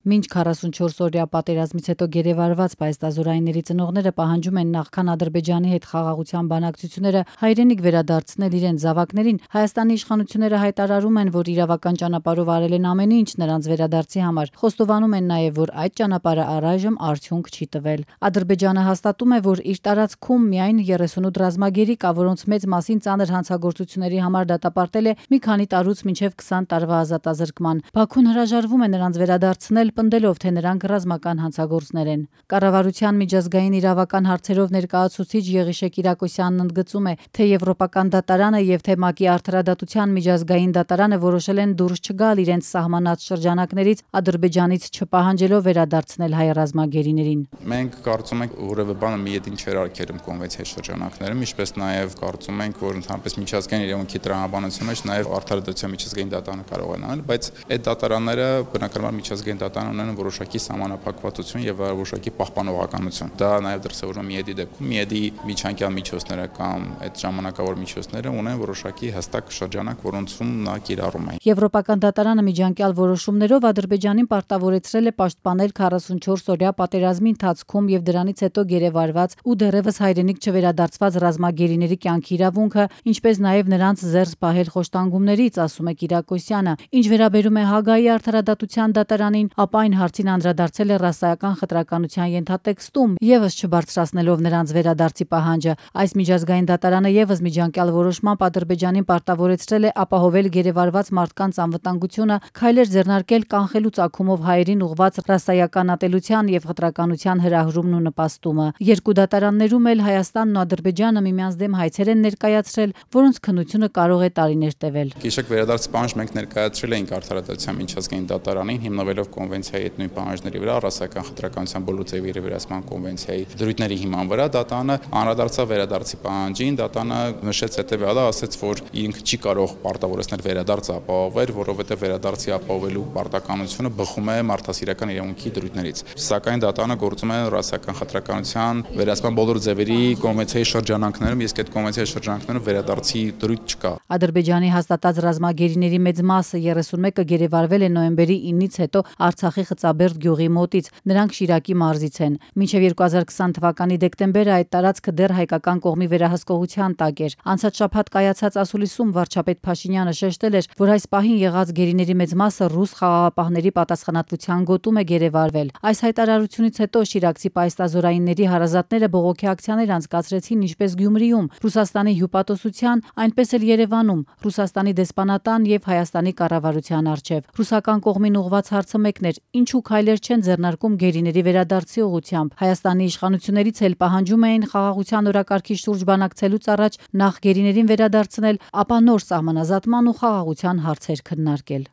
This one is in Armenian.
Մինչ 44-օրյա պատերազմից հետո գերեվարված պայստազորայինների ծնողները պահանջում են նախքան Ադրբեջանի հետ խաղաղության բանակցությունները հայրենիք վերադարձնել իրենց զավակներին, Հայաստանի իշխանությունները հայտարարում են, որ իրավական ճանապարհով արել են ամեն ինչ նրանց վերադարձի համար, խոստովանում են նաև, որ այդ ճանապարհը առայժմ արդյունք չի տվել։ Ադրբեջանը հաստատում է, որ իր տարածքում միայն 38 ռազմագերի կա, որոնց մեծ մասին ծանր հանցագործությունների համար դատապարտել է մի քանի տարուց մինչև 20 տարվա ազատազրկման։ Բաքուն հրաժարվում է նրանց վերադարձնել, պնդելով, թե նրանք ռազմական հանցագործներ են։ Կառավարության միջազգային իրավական հարցերով ներկայացուցիչ Եղիշե Կիրակոսյանն ընդգծում է, թե Եվրոպական դատարանը եւ թե ՄԱԿ-ի արդարադատության միջազգային դատարանը որոշել են դուրս չգալ իրենց սահմանած շրջանակներից, Ադրբեջանից չպահանջելով վերադարձնել հայ ռազմագերիներին։ Մենք կարծում ենք, որևէ բանը միեդին չէր արգելում կոնվենցիայի շրջանակներում, ինչպես նաև կարծում ենք, որ ընդհանրապես միջազգային իրավունքի տրամաբանության մեջ նաև արդարադատության միջազգային դատարանը կարող է անել, բայց այդ դատարանները բնականաբար միջազգային դատարան ունեն որոշակի սահմանափակվածություն եւ որոշակի պահպանողականություն։ Դա նաև դրսևորվում է միեդի դեպքում։ Միեդի միջանկյալ միջոցները կամ այդ ժամանակավոր միջոցները ունեն որոշակի հստակ շրջանակ, որոնցում նա կիրառում է։ Եվրոպական դատարանը միջանկյալ որոշումներով Ադրբեջանին պարտավորեցրել է պաշտպանել 44-օրյա պատերազմի ընթացքում եւ դրանից հետո գերեվարված ու դեռևս հայրենիք չվերադարձված ռազմագերիների կյանքի իրավունքը, ինչպես նաև նրանց զերծ պահել խոշտանգումներից, ասում է Կիրակոսյանը։ Ինչ վերաբերում է Հագայի արդարադատության դատարանին, ապա այն հարցին անդրադարձել է ռասայական խտրականության ենթատեքստում, եւս չբարձրացնելով նրանց վերադարձի պահանջը։ Այս միջազգային դատարանը եւս միջանկյալ որոշմամբ Ադրբեջանին պարտավորեցրել է ապահովել գերեվարված մարդկանց անվտանգությունը, քայլեր ձեռնարկել կանխելու ծագումով հայերին ուղղված ռասայական ատելության եւ խտրականության հրահրումն ու նպաստումը։ Երկու դատարաններում էլ Հայաստանն ու Ադրբեջանը միմյանց դեմ հայցեր են ներկայացրել, որոնց քննությունը կարող է տարիներ տևել։ Գիշակ վերադարձ պահանջ մենք ներկայացրել էինք արդարադատության միջազգային դատարանին, հիմնվելով կոնվենցիայի այդ նույն պահանջների վրա, ռասայական խտրականության բոլոր ձևերի վերահսկման կոնվենցիայի դրույթների հիման վրա, դատարանը անդրադարձավ վերադարձի պահանջին, դատարանը նշեց հետեւյալը, ասաց, որ ինքը չի կարող պարտավորեցնել վերադարձը ապահովել, որովհետեւ վերադարձի ապահովելու պարտականությունը բխում է մարդասիրական իրավունքի դրույթներից։ Սակայն դատարանը գործում է ռասայական խտրականության վերահսկման բոլոր ձևերի կոնվենցիայի շրջանակներում, իսկ այդ կոնվենցիայի շրջանակներում վերադարձի դրույթ չկա։ Ադրբեջանի հաստատած ռազմագերիների մեծ մասը 31-ը գերեվարվել է նոյեմբերի 9-ից հետո Արցախի Խծաբերդ գյուղի մոտից, նրանք Շիրակի մարզից են։ Մինչև 2020 թվականի դեկտեմբերը այդ տարածքը դեռ հայկական կողմի վերահսկողության տակ էր։ Անցած շաբաթ կայացած ասուլիսում վարչապետ Փաշինյանը շեշտել էր, որ այս պահին եղած գերիների մեծ մասը ռուս խաղաղապահների պատասխանատվության գոտում է գերեվարվել։ Այս հայտարարությունից հետո շիրակցի պայստազորայինների հարազատները բողոքի ակցիաներ անցկացրեցին ինչպես Գյումրիում, Ռուսաստանի հյուպատոսության, այնպես էլ Երևանում, Ռուսաստանի դեսպանատան եւ Հայաստանի կառավարության առջեւ։ Ռուսական կողմին ուղղված հարցը մեկն էր. ինչու քայլեր չեն ձեռնարկում գերիների վերադարձի ուղղությամբ։ Հայաստանի իշխանություններից էլ պահանջում էին խաղաղության օրակարգի շուրջ բանակցելուց առաջ նախ գերիներին վերադարձնել, ապա նոր սահմանազատման ու խաղաղության հարցեր քննարկել։